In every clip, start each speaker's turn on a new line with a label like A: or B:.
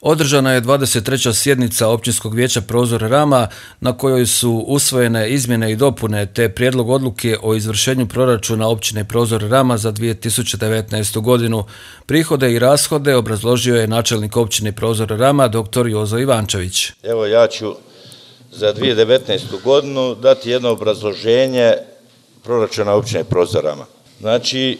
A: Održana je 23. sjednica Općinskog vijeća Prozor Rama na kojoj su usvojene izmjene i dopune te prijedlog odluke o izvršenju proračuna općine Prozor Rama za 2019. godinu. Prihode i rashode obrazložio je načelnik općine Prozor Rama dr. Jozo Ivančević.
B: Evo ja ću za 2019. godinu dati jedno obrazloženje proračuna općine Prozor Rama. Znači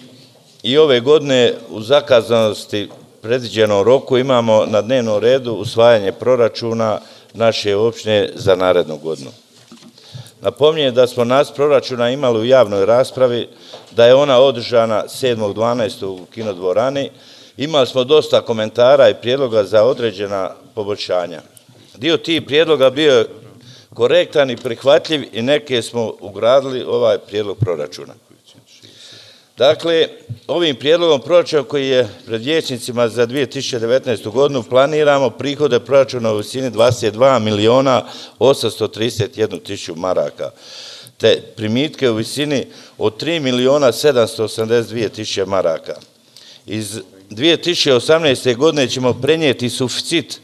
B: i ove godine u zakazanosti predviđenom roku imamo na dnevnom redu usvajanje proračuna naše općine za narednu godinu. Napominjem da smo nacrt proračuna imali u javnoj raspravi, da je ona održana 7.12. u kinodvorani. Imali smo dosta komentara i prijedloga za određena poboljšanja. Dio tih prijedloga bio je korektan i prihvatljiv i neke smo ugradili ovaj prijedlog proračuna. Dakle, ovim prijedlogom proračuna koji je pred vijećnicima za 2019. godinu planiramo prihode proračuna u visini 22.831.000 maraka, te primitke u visini od 3.782.000 maraka. Iz 2018. godine ćemo prenijeti suficit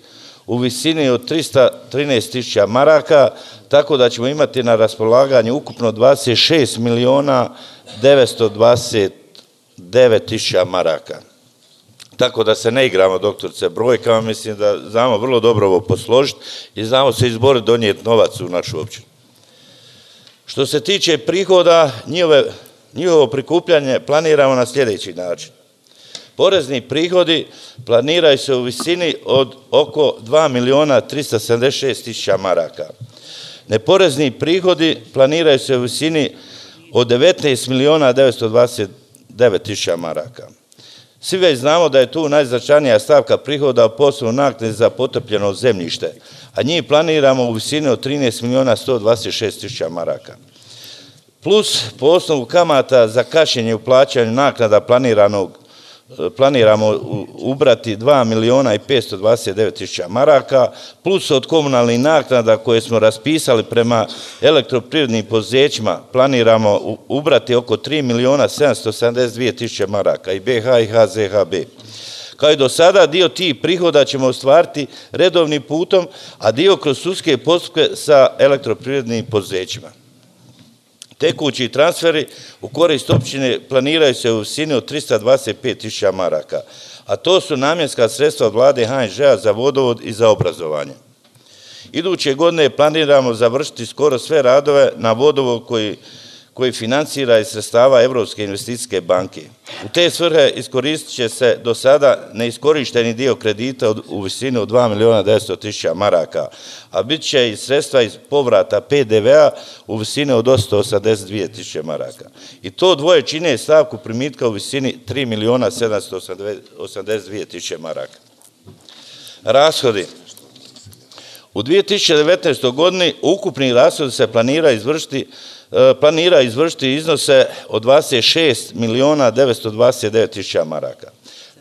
B: u visini od 313.000 maraka, tako da ćemo imati na raspolaganju ukupno 26.929.000 maraka. Tako da se ne igramo, doktorice, brojkama, mislim da znamo vrlo dobro ovo posložiti i znamo se izboriti donijeti novac u našu općinu. Što se tiče prihoda, njihovo prikupljanje planiramo na sljedeći način. Porezni prihodi planiraju se u visini od oko 2.376.000 maraka. Neporezni prihodi planiraju se u visini od 19.929.000 maraka. Svi već znamo da je tu najznačajnija stavka prihoda posebno naknade za potopljeno zemljište, a njih planiramo u visini od 13.126.000 maraka. Plus po osnovu kamata za kašnjenje u plaćanju naknada planiramo ubrati 2.529.000 maraka, plus od komunalnih naknada koje smo raspisali prema elektroprivrednim poduzećima planiramo ubrati oko 3.772.000 maraka i BH i HZHB. Kao i do sada, dio tih prihoda ćemo ostvariti redovnim putom, a dio kroz sudske postupke sa elektroprivrednim poduzećima. Tekući transferi u korist općine planiraju se u visini od 325.000 maraka, a to su namjenska sredstva od vlade HNŽ-a za vodovod i za obrazovanje. Iduće godine planiramo završiti skoro sve radove na vodovod koji financira iz sredstava Europske investicijske banke. U te svrhe iskoristit će se do sada neiskorišteni dio kredita u visini od 2.900.000 maraka, a bit će i sredstva iz povrata PDV-a u visini od 882.000 maraka. I to dvoje čine stavku primitka u visini 3.782.000 maraka. Rashodi. U 2019. godini ukupni rashodi se planira izvršiti iznose od 26.929.000 maraka.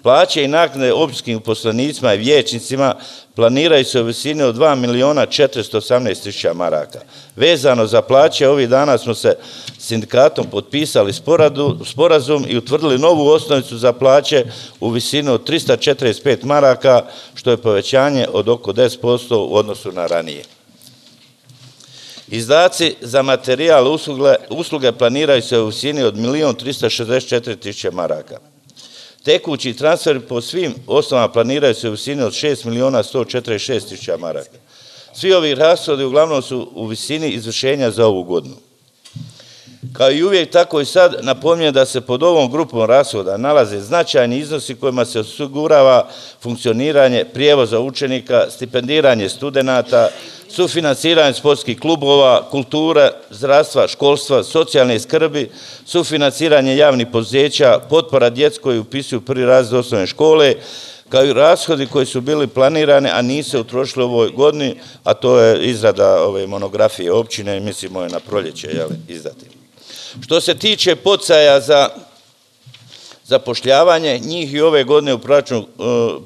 B: Plaće i naknade općinskim uposlenicima i vijećnicima planiraju se u visini od 2.418.000 maraka. Vezano za plaće, ovih dana smo se sindikatom potpisali sporazum i utvrdili novu osnovicu za plaće u visini od 345 maraka, što je povećanje od oko 10% u odnosu na ranije. Izdaci za materijal usluge planiraju se u visini od 1.364.000 maraka. Tekući transfer po svim osnovama planiraju se u visini od 6.146.000 maraka. Svi ovi rashodi uglavnom su u visini izvršenja za ovu godinu. Kao i uvijek, tako i sad napominjem da se pod ovom grupom rashoda nalaze značajni iznosi kojima se osigurava funkcioniranje prijevoza učenika, stipendiranje studenata, sufinansiranje sportskih klubova, kulture, zdravstva, školstva, socijalne skrbi, sufinansiranje javnih poduzeća, potpora djeci koji upisuju prvi razred osnovne škole, kao i rashodi koji su bili planirani, a nisu utrošili u ovoj godini, a to je izrada ove monografije općine, mislimo je na proljeće izdati. Što se tiče poticaja za zapošljavanje, njih i ove godine u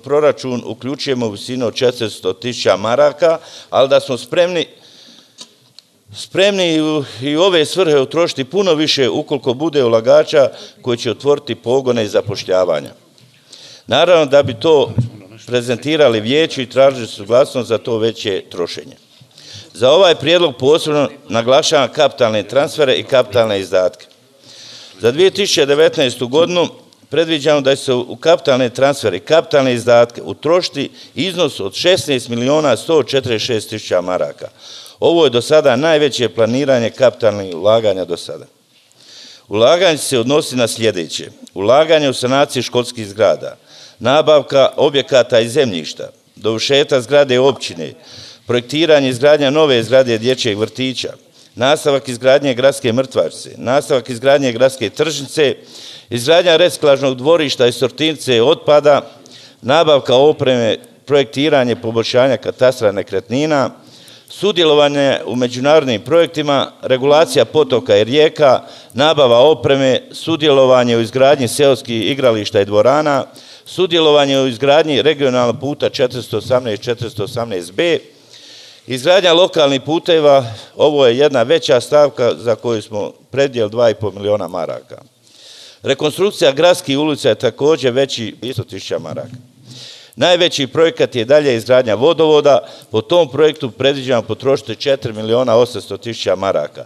B: proračun uključujemo u visinu od 400.000 maraka, ali da smo spremni i ove svrhe utrošiti puno više ukoliko bude ulagača koji će otvoriti pogone i zapošljavanja. Naravno da bi to prezentirali vijeću i tražili suglasnost za to veće trošenje. Za ovaj prijedlog posebno naglašavam kapitalne transfere i kapitalne izdatke. Za 2019. godinu predviđamo da će se u kapitalne transfere i kapitalne izdatke utrošiti iznos od 16.146.000 maraka. Ovo je do sada najveće planiranje kapitalnih ulaganja do sada. Ulaganje se odnosi na sljedeće: ulaganje u sanaciju školskih zgrada, nabavka objekata i zemljišta, dovršetak zgrade općine, projektiranje i izgradnja nove zgrade dječjeg vrtića, nastavak izgradnje gradske mrtvačnice, nastavak izgradnje gradske tržnice, izgradnja reciklažnog dvorišta i sortirnice otpada, nabavka opreme, projektiranje poboljšanja katastra nekretnina, sudjelovanje u međunarodnim projektima, regulacija potoka i rijeka, nabava opreme, sudjelovanje u izgradnji seoskih igrališta i dvorana, sudjelovanje u izgradnji regionalnog puta 418-418B, izgradnja lokalnih puteva. Ovo je jedna veća stavka za koju smo predvidjeli 2,5 miliona maraka. Rekonstrukcija gradskih ulica je također veći 100.000 maraka. Najveći projekat je dalje izgradnja vodovoda. Po tom projektu predviđamo potrošiti 4.800.000 maraka.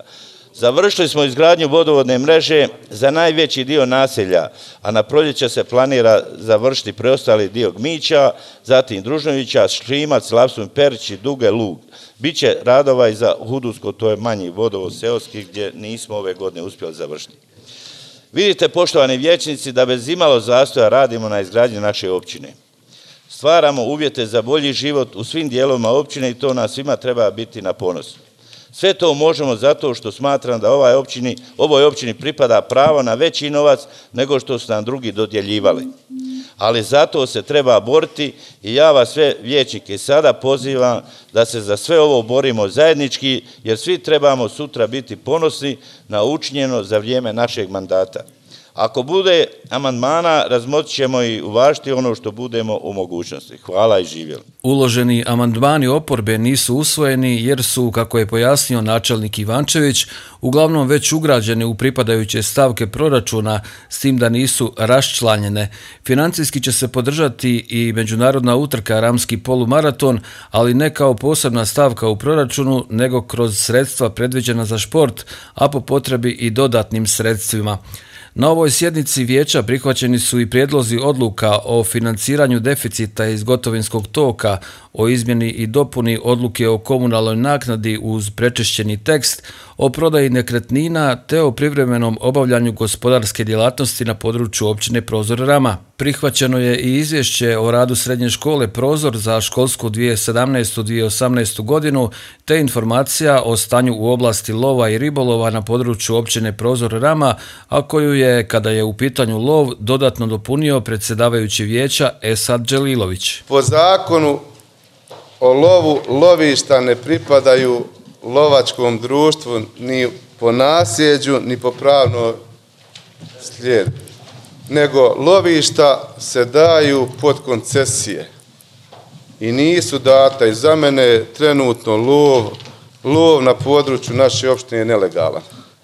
B: Završili smo izgradnju vodovodne mreže za najveći dio naselja, a na proljeće se planira završiti preostali dio Gmića, zatim Družnovića, Šlimac, Lapsum, Perić i Duge, Lug. Biće radova i za Hudusko, to je manji vodovod seoski gdje nismo ove godine uspjeli završiti. Vidite, poštovani vijećnici, da bez imalo zastoja radimo na izgradnji naše općine. Stvaramo uvjete za bolji život u svim dijelovima općine i to nas svima treba biti na ponos. Sve to možemo zato što smatram da ovoj općini pripada pravo na veći novac nego što su nam drugi dodjeljivali. Ali zato se treba boriti i ja vas sve vijećnike sada pozivam da se za sve ovo borimo zajednički, jer svi trebamo sutra biti ponosni na učinjeno za vrijeme našeg mandata. Ako bude amandmana, razmotrit ćemo i uvažiti ono što budemo u mogućnosti. Hvala i živjeli.
A: Uloženi amandmani oporbe nisu usvojeni jer su, kako je pojasnio načelnik Ivančević, uglavnom već ugrađeni u pripadajuće stavke proračuna, s tim da nisu raščlanjene. Financijski će se podržati i međunarodna utrka Ramski polumaraton, ali ne kao posebna stavka u proračunu, nego kroz sredstva predviđena za šport, a po potrebi i dodatnim sredstvima. Na ovoj sjednici vijeća prihvaćeni su i prijedlozi odluka o financiranju deficita iz gotovinskog toka, o izmjeni i dopuni odluke o komunalnoj naknadi uz prečišćeni tekst, o prodaji nekretnina te o privremenom obavljanju gospodarske djelatnosti na području općine Prozor Rama. Prihvaćeno je i izvješće o radu srednje škole Prozor za školsku 2017-2018 godinu te informacija o stanju u oblasti lova i ribolova na području općine Prozor Rama, a koju je, kada je u pitanju lov, dodatno dopunio predsjedavajući vijeća Esad Đelilović.
C: Po zakonu o lovu lovišta ne pripadaju lovačkom društvu ni po nasljeđu, ni po pravnom slijedu, nego lovišta se daju pod koncesije i nisu data. I za mene trenutno lov na području naše opštine je nelegalan,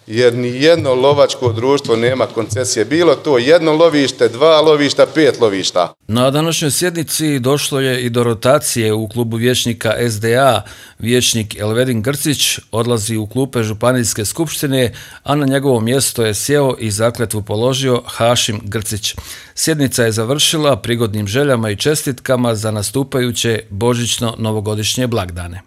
C: jer ni jedno lovačko društvo nema koncesije. Bilo to jedno lovište, 2 lovišta, 5 lovišta.
A: Na današnjoj sjednici došlo je i do rotacije u klubu vijećnika SDA. Vijećnik Elvedin Grcić odlazi u klupe Županijske skupštine, a na njegovo mjesto je sjeo i zakletvu položio Hašim Grcić. Sjednica je završila prigodnim željama i čestitkama za nastupajuće božićno-novogodišnje blagdane.